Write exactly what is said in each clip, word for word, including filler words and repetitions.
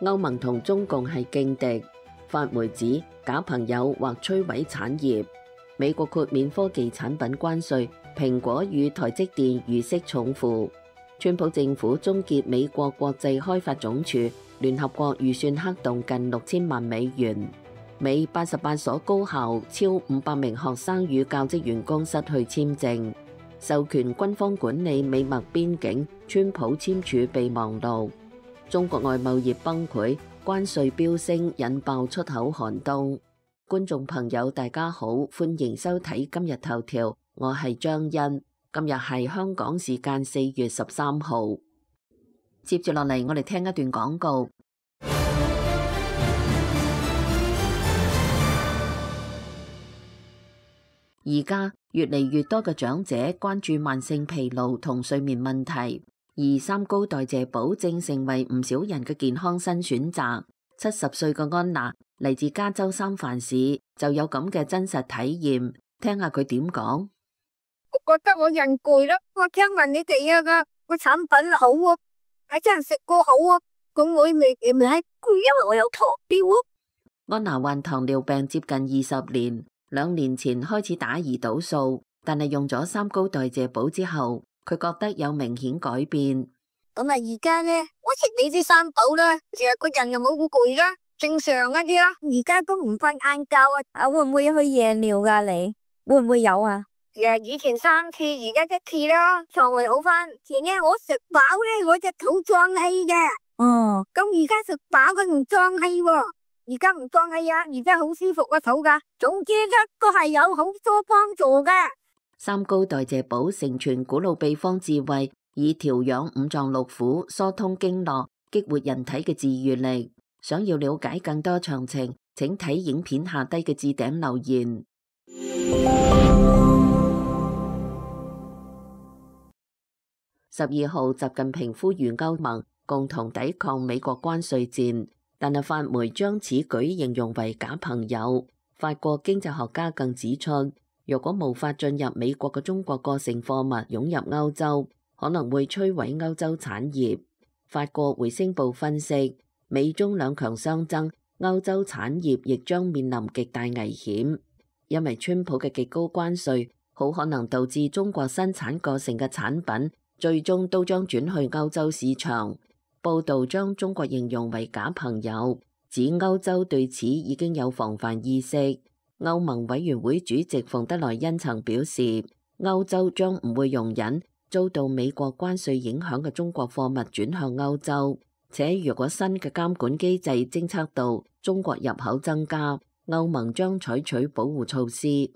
歐盟同中共係勁敵。法媒指假朋友或摧毀產業。美國豁免科技產品關稅，蘋果與台積電如釋重負。川普政府終結美國國際開發總署聯合國預算黑洞近六千萬美元。美八十八所高校超五百名學生與教職員工失去簽證。授權軍方管理美墨邊境，川普簽署備忘錄。中國外貿業崩潰，關稅飆升引爆出口寒冬。觀眾朋友大家好，歡迎收睇今日頭條，我係張欣。今日係香港時間四月十三號。接住落嚟，我哋聽一段廣告。而家越嚟越多嘅長者關注慢性疲勞同睡眠問題，而三高代謝寶正成為唔少人嘅健康新選擇。七十歲嘅安娜嚟自加州三藩市，就有咁嘅真實體驗，聽下佢點講。我覺得我人攰啦，我聽聞你哋啊個個產品好啊，係真係食過好啊，咁我未未係攰，因為我有糖尿啊。安娜患糖尿病接近二十年。兩年前開始打胰島素，但係用咗三高代謝寶之後，佢覺得有明顯改變。咁啊，而家咧，我食你啲三寶啦，成日個人又冇咁攰啦，正常一啲啦。而家都唔瞓晏覺啊，啊會唔會去夜尿噶？你會唔會有啊？誒，以前三次，而家一次啦，腸胃好翻。前日我食飽咧，我隻肚脹氣嘅。哦，咁而家食飽佢唔脹氣喎。而家唔脹氣啊，而家好舒服個肚噶。總之一個係有好多幫助噶。三高代謝寶承傳古老秘方智慧，以調養五臟六腑、疏通經絡、激活人體嘅治癒力。想要了解更多詳情，請睇影片下低嘅置頂留言。十二號，習近平呼籲歐盟共同抵抗美國關稅戰。但係法媒將此舉形容為假朋友。法國經濟學家更指出，若果無法進入美國嘅中國過剩貨物湧入歐洲，可能會摧毀歐洲產業。法國回聲部分析，美中兩強相爭，歐洲產業亦將面臨極大危險，因為川普嘅極高關稅好可能導致中國生產過剩嘅產品最終都將轉去歐洲市場。報道將中國形容為假朋友，指歐洲對此已經有防範意識。歐盟委員會主席馮德萊恩曾表示，歐洲將唔會容忍遭到美國關稅影響嘅中國貨物轉向歐洲，且如果新嘅監管機制偵測到中國入口增加，歐盟將採取保護措施。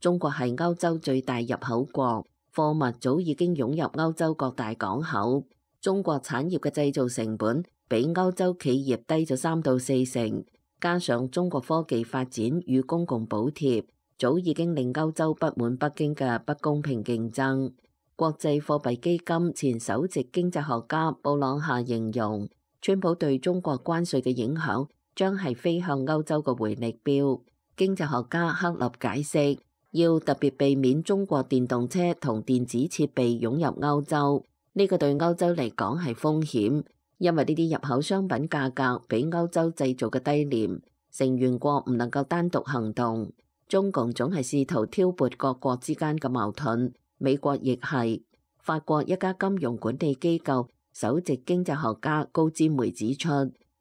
中國係歐洲最大入口國，貨物早已經湧入歐洲各大港口。中國產業嘅製造成本比歐洲企業低咗三到四成，加上中國科技發展與公共補貼，早已經令歐洲不滿北京嘅不公平競爭。國際貨幣基金前首席經濟學家布朗夏形容，川普對中國關稅嘅影響將係飛向歐洲嘅回力鏢。經濟學家克立解釋，要特別避免中國電動車同電子設備湧入歐洲。呢個對歐洲嚟講係風險，因為呢啲入口商品價格比歐洲製造嘅低廉，成員國唔能夠單獨行動。中共總係試圖挑撥各國之間嘅矛盾，美國亦係。法國一家金融管理機構首席經濟學家高占梅指出，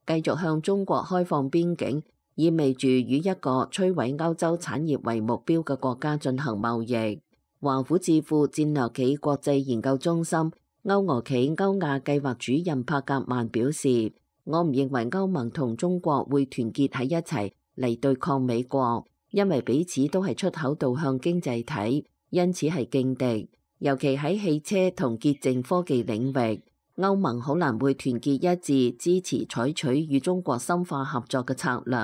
繼續向中國開放邊境，意味住與一個摧毀歐洲產業為目標嘅國家進行貿易。華府智庫戰略企國際研究中心歐俄企歐亞計劃主任帕格曼表示，我唔認為歐盟同中國會團結喺一齊嚟對抗美國，因為彼此都係出口導向經濟體，因此係勁敵。尤其喺汽車同潔淨科技領域，歐盟好難會團結一致支持採取與中國深化合作嘅策略。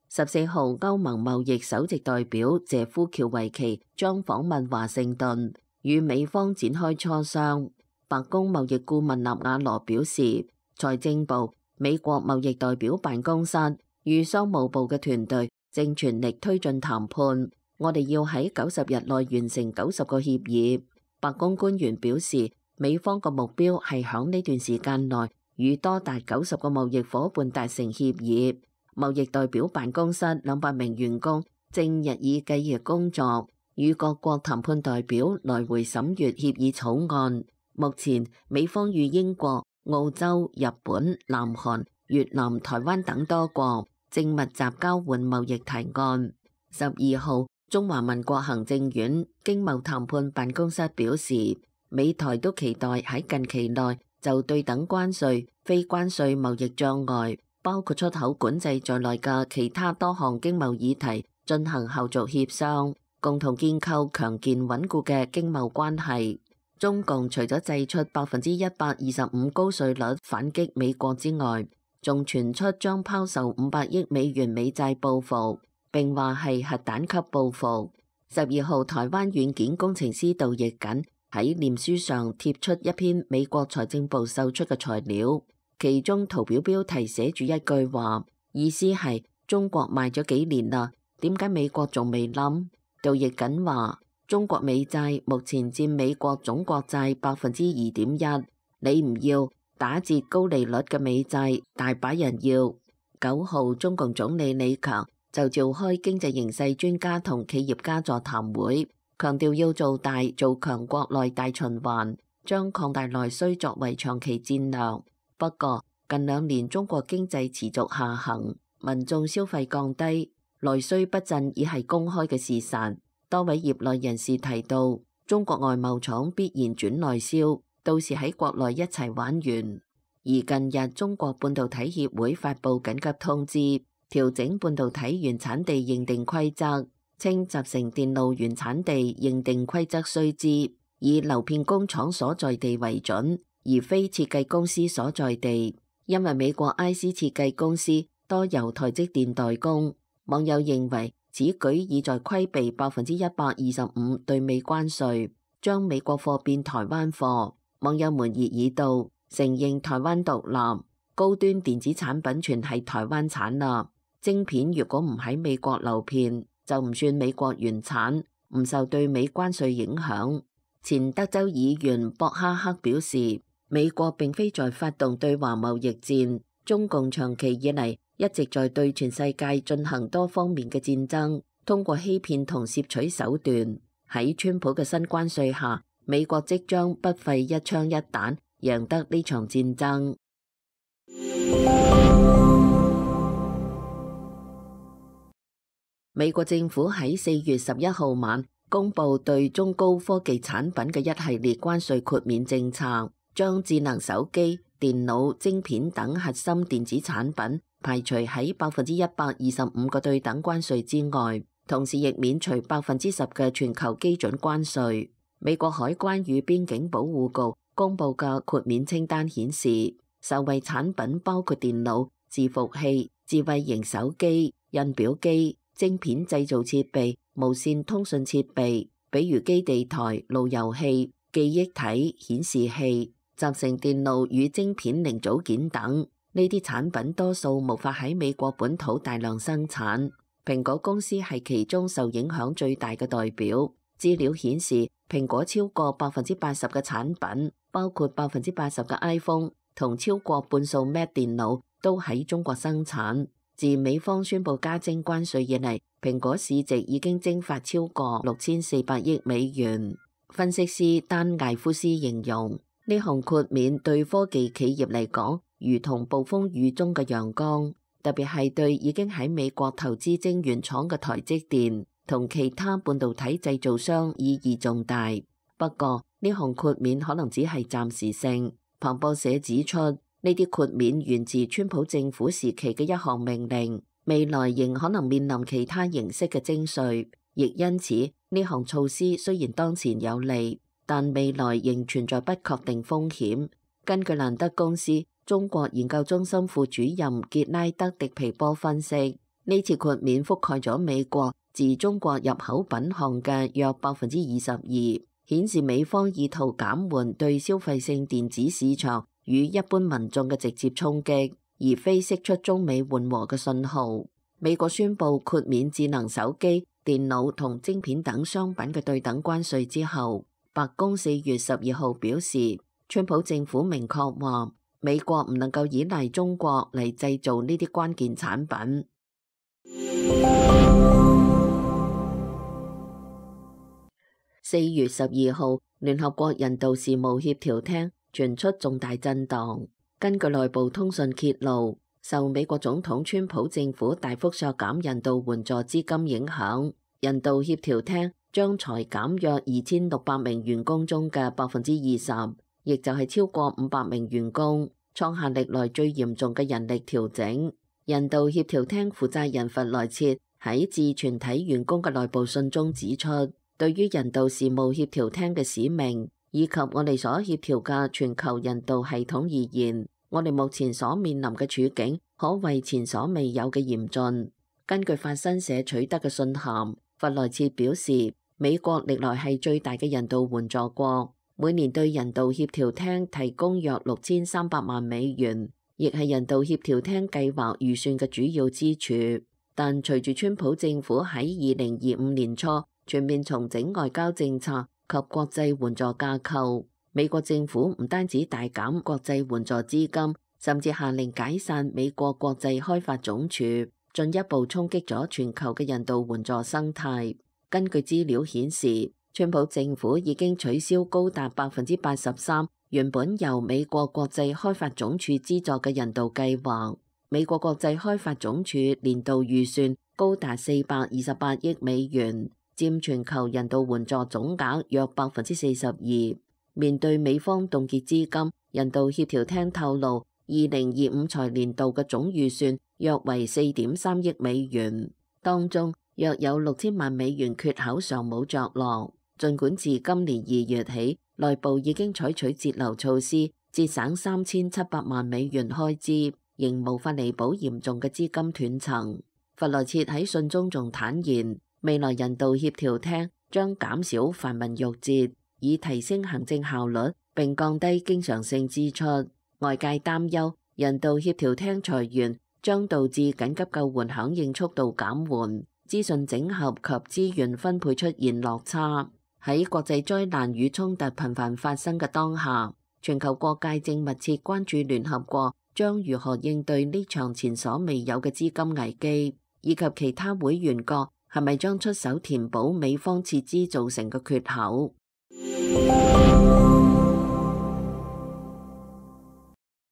十四號，歐盟貿易首席代表謝夫喬維奇將訪問華盛頓，與美方展開磋商。白宮貿易顧問納瓦羅表示，財政部、美國貿易代表辦公室與商務部嘅團隊正全力推進談判。我哋要喺九十日內完成九十個協議。白宮官員表示，美方嘅目標係響呢段時間內與多達九十個貿易夥伴達成協議。貿易代表辦公室兩百名員工正日以繼夜工作，與各國談判代表來回審閱協議草案。目前，美方與英國、澳洲、日本、南韓、越南、台灣等多國正密集交換貿易提案。十二號，中華民國行政院經貿談判辦公室表示，美台都期待喺近期內就對等關稅、非關稅貿易障礙，包括出口管制在內嘅其他多項經貿議題進行後續協商，共同建構強健穩固嘅經貿關係。中共除咗祭出百分之一百二十五高稅率反擊美國之外，仲傳出將拋售五百億美元美債報復，並話係核彈級報復。十二號，台灣軟件工程師杜奕瑾喺臉書上貼出一篇美國財政部售出嘅材料，其中圖表標題寫住一句話，意思係中國賣咗幾年啦，點解美國仲未冧？杜奕瑾話，中國美債目前佔美國總國債百分之二點一，你唔要打折高利率嘅美債，大把人要。九號，中共總理李強就召開經濟形勢專家同企業家座談會，強調要做大做強國內大循環，將擴大內需作為長期戰略。不過近兩年中國經濟持續下行，民眾消費降低，內需不振已係公開嘅事實。多位業內人士提到，中國外貿廠必然轉內銷，到時喺國內一齊玩完。而近日中國半導體協會發布緊急通知，調整半導體原產地認定規則，稱集成電路原產地認定規則須知，以流片工廠所在地為準，而非設計公司所在地。因為美國 I C 設計公司多由台積電代工，網友認為此舉意在規避百分之一百二十五對美關稅，將美國貨變台灣貨。網友們熱議道，承認台灣獨立，高端電子產品全係台灣產啦。晶片如果唔喺美國流片，就唔算美國原產，唔受對美關稅影響。前德州議員博哈克表示，美國並非在發動對華貿易戰，中共長期以嚟一直在對全世界進行多方面嘅戰爭，通過欺騙同竊取手段。喺川普嘅新關稅下，美國即將不費一槍一彈贏得呢場戰爭。美國政府喺四月十一號晚公布對中高科技產品嘅一系列關稅豁免政策，將智能手機、電腦、晶片等核心電子產品排除喺百分之一百二十五個對等關稅之外，同時亦免除百分之十嘅全球基準關稅。美國海關與邊境保護局公布嘅豁免清單顯示，受惠產品包括電腦、伺服器、智慧型手機、印表機、晶片製造設備、無線通訊設備，比如基地台、路由器、記憶體、顯示器、集成電路與晶片零組件等。呢啲產品多數無法喺美國本土大量生產。蘋果公司係其中受影響最大嘅代表。資料顯示，蘋果超過百分之八十嘅產品，包括百分之八十嘅 iPhone 同超過半數 Mac 電腦，都喺中國生產。自美方宣布加徵關稅以嚟，蘋果市值已經蒸發超過六千四百億美元。分析師丹艾夫斯形容，呢項豁免對科技企業嚟講，如同暴風雨中嘅陽光，特別係對已經喺美國投資晶圓廠嘅台積電同其他半導體製造商意義重大。不過，呢項豁免可能只係暫時性。彭博社指出，呢啲豁免源自川普政府時期嘅一項命令，未來仍可能面臨其他形式嘅徵稅，亦因此呢項措施雖然當前有利，但未來仍存在不確定風險。根據蘭德公司中國研究中心副主任傑拉德迪皮波分析，呢次豁免覆蓋咗美國自中國入口品項嘅約百分之二十二，顯示美方意圖減緩對消費性電子市場與一般民眾嘅直接衝擊，而非釋出中美緩和嘅信號。美國宣布豁免智能手機、電腦同晶片等商品嘅對等關稅之後，白宮四月十二號表示，川普政府明確話，美國唔能夠依賴中國嚟製造呢啲關鍵產品。四月十二號，聯合國人道事務協調廳傳出重大震盪。根據內部通訊揭露，受美國總統川普政府大幅削減人道援助資金影響，人道協調廳將裁減約二千六百名員工中嘅百分之二十，亦就係超過五百名員工，創下歷來最嚴重嘅人力調整。人道協調廳負責人弗萊切喺致全體員工嘅內部信中指出，對於人道事務協調廳嘅使命，以及我哋所協調嘅全球人道系統而言，我哋目前所面臨嘅處境可謂前所未有嘅嚴峻。根據法新社取得嘅信函，弗萊切表示，美國歷來係最大嘅人道援助國，每年對人道協調廳提供約六千三百萬美元，亦係人道協調廳計劃預算嘅主要支柱。但隨住川普政府喺二零二五年初全面重整外交政策及國際援助架構，美國政府唔單止大減國際援助資金，甚至下令解散美國國際開發總署，進一步衝擊咗全球嘅人道援助生態。根據資料顯示，川普政府已經取消高達百分之八十三原本由美國國際開發總署資助嘅人道計劃。美國國際開發總署年度預算高達四百二十八億美元，佔全球人道援助總額約百分之四十二。面對美方凍結資金，人道協調廳透露，二零二五財年度嘅總預算約為四點三億美元，當中約有六千萬美元缺口尚冇着落。儘管自今年二月起，內部已經採取節流措施，節省三千七百萬美元開支，仍無法彌補嚴重嘅資金斷層。弗萊切喺信中仲坦言，未來人道協調廳將減少繁文縟節，以提升行政效率並降低經常性支出。外界擔憂人道協調廳裁員將導致緊急救援響應速度減緩，資訊整合及資源分配出現落差。喺國際災難與衝突頻繁發生嘅當下，全球各界正密切關注聯合國將如何應對呢場前所未有嘅資金危機，以及其他會員國係咪將出手填補美方撤資造成嘅缺口。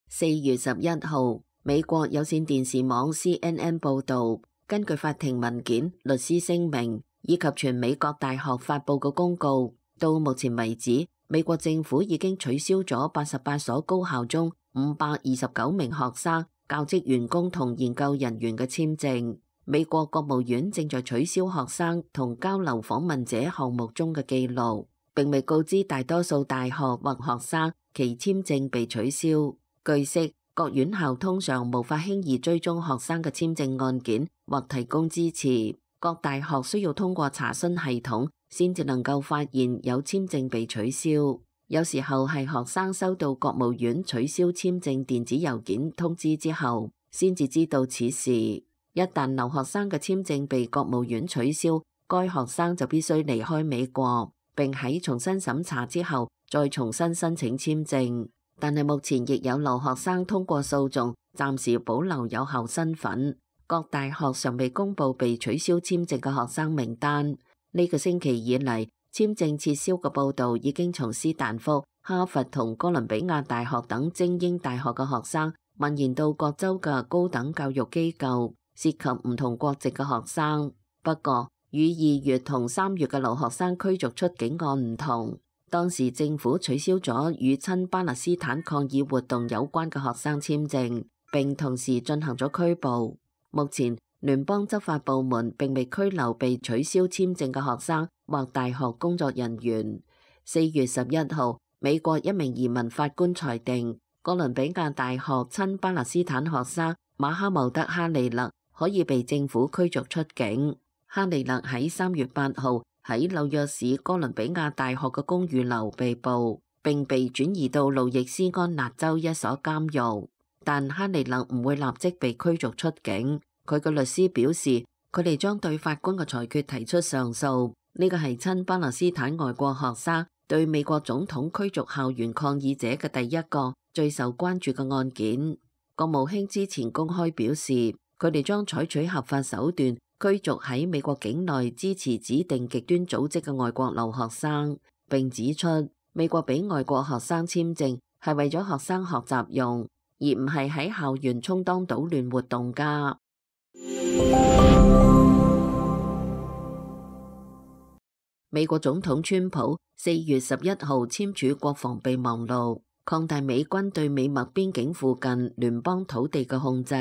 四月十一號，美國有線電視網 C N N 報導，根據法庭文件、律師聲明以及全美各大學發佈嘅公告，到目前為止，美國政府已經取消咗八十八所高校中五百二十九名學生、教職員工同研究人員嘅簽證。美國國務院正在取消學生同交流訪問者項目中嘅記錄，並未告知大多數大學或學生其簽證被取消。據悉，各院校通常無法輕易追蹤學生嘅簽證案件或提供支持。各大學需要通過查詢系統先至能夠發現有簽證被取消。有時候係學生收到國務院取消簽證電子郵件通知之後，先至知道此事。一旦留學生嘅簽證被國務院取消，該學生就必須離開美國，並喺重新審查之後再重新申請簽證。但係目前亦有留學生通過訴訟，暫時保留有效身份。各大學尚未公布被取消簽證嘅學生名單。呢個星期以嚟，簽證撤銷嘅報導已經從斯坦福、哈佛同哥倫比亞大學等精英大學嘅學生蔓延到各州嘅高等教育機構，涉及唔同國籍嘅學生。不過，與二月同三月嘅留學生驅逐出境案唔同，當時政府取消咗與親巴勒斯坦抗議活動有關嘅學生簽證，並同時進行咗拘捕。目前，聯邦執法部門並未拘留被取消簽證嘅學生或大學工作人員。四月十一號，美國一名移民法官裁定，哥倫比亞大學親巴勒斯坦學生馬哈茂德哈利勒可以被政府驅逐出境。哈利勒喺三月八號喺紐約市哥倫比亞大學嘅公寓樓被捕，並被轉移到路易斯安那州一所監獄。但哈利勒唔會立即被驅逐出境。佢嘅律師表示，佢哋將對法官嘅裁決提出上訴。呢個係親巴勒斯坦外國學生對美國總統驅逐校園抗議者嘅第一個最受關注嘅案件。國務卿之前公開表示，佢哋將採取合法手段驅逐喺美國境內支持指定極端組織嘅外國留學生，並指出美國俾外國學生簽證係為咗學生學習用，而唔係喺校園充當搗亂活動家。美國總統川普四月十一號簽署國防備忘錄，擴大美軍對美墨邊境附近聯邦土地嘅控制，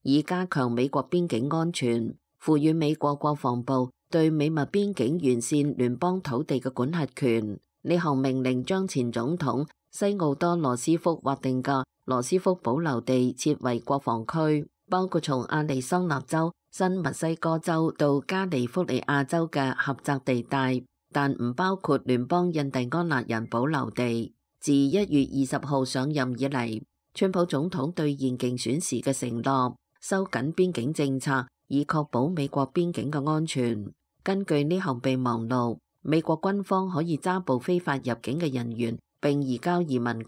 以加強美國邊境安全，賦予美國國防部對美墨邊境沿線聯邦土地嘅管轄權。呢項命令將前總統西奧多羅斯福劃定嘅羅斯福保留地設為國防區，包括從亞利桑那州、新墨西哥州到加利福尼亞州嘅狹窄地帶，但唔包括聯邦印第安納人保留地。自一月二十號上任以嚟，川普總統兌現競選時嘅承諾，收緊邊境政策，以確保美國邊境嘅安全。根據呢項備忘錄，美國軍方可以抓捕非法入境嘅人員，並移交移民局。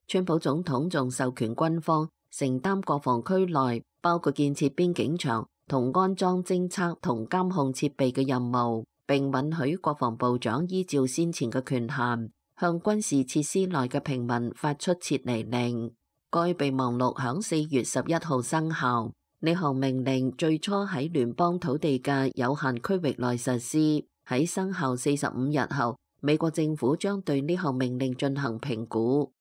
川普總統仲授權軍方承擔國防區內包括建設邊境牆同安裝偵測同監控設備嘅任務，並允許國防部長依照先前嘅權限，向軍事設施內嘅平民發出撤離令。該備忘錄響四月十一號生效。呢項命令最初喺聯邦土地嘅有限區域內實施。喺生效四十五日後，美國政府將對呢項命令進行評估。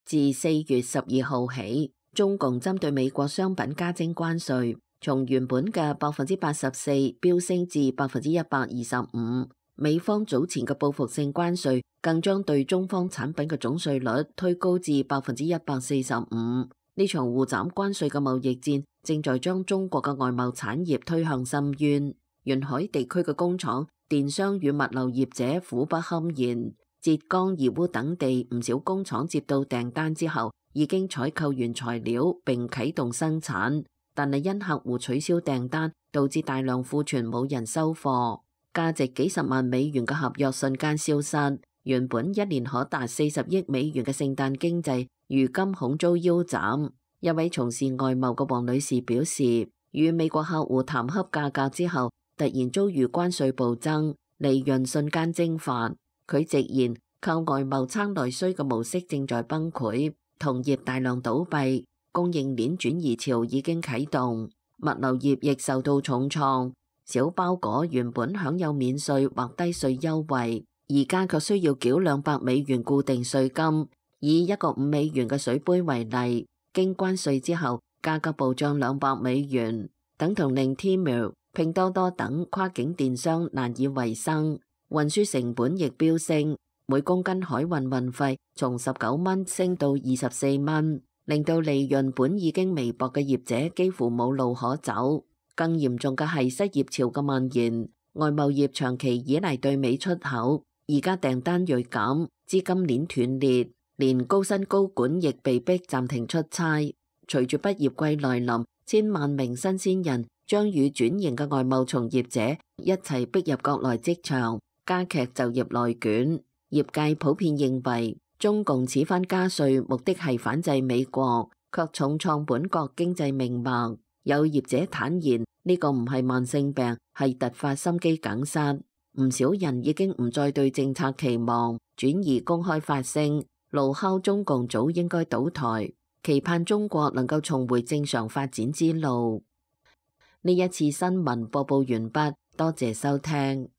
自四月十二號起，中共針對美國商品加徵關稅，從原本嘅百分之八十四飆升至百分之一百二十五。美方早前嘅報復性關稅更將對中方產品嘅總稅率推高至百分之一百四十五。呢場互斬關稅嘅貿易戰正在將中國嘅外貿產業推向深淵。沿海地區嘅工廠、電商與物流業者苦不堪言。浙江、義烏等地唔少工廠接到訂單之後，已經採購原材料並啟動生產，但係因客戶取消訂單，導致大量庫存冇人收貨。價值幾十萬美元嘅合約瞬間消失，原本一年可達四十億美元嘅聖誕經濟，如今恐遭腰斬。一位從事外貿嘅黃女士表示，與美國客戶談洽價格之後，突然遭遇關稅暴增，利潤瞬間蒸發。佢直言，靠外貿撐內需嘅模式正在崩潰，同業大量倒閉，供應鏈轉移潮已經啟動，物流業亦受到重創。小包裹原本享有免稅或低稅優惠，而家卻需要繳兩百美元固定稅金。以一個五美元嘅水杯為例，經關稅之後，價格暴漲兩百美元，等同令 Temu、拼多多等跨境電商難以為生。運輸成本亦飆升，每公斤海運運費從十九蚊升到二十四蚊，令到利潤本已經微薄嘅業者幾乎冇路可走。更嚴重嘅係失業潮嘅蔓延，外貿業長期依賴對美出口，而家訂單銳減，資金鏈斷裂，連高薪高管亦被逼暫停出差。隨住畢業季來臨，千萬名新鮮人將與轉型嘅外貿從業者一齊逼入國內職場，加劇就業內卷。業界普遍認為，中共此番加稅目的係反制美國，卻重創本國經濟命脈。有業者坦言，呢個唔係慢性病，係突發心肌梗塞。唔少人已經唔再對政策期望，轉而公開發聲，怒敲中共早應該倒台，期盼中國能夠重回正常發展之路。呢一次新聞播報完畢，多謝收聽。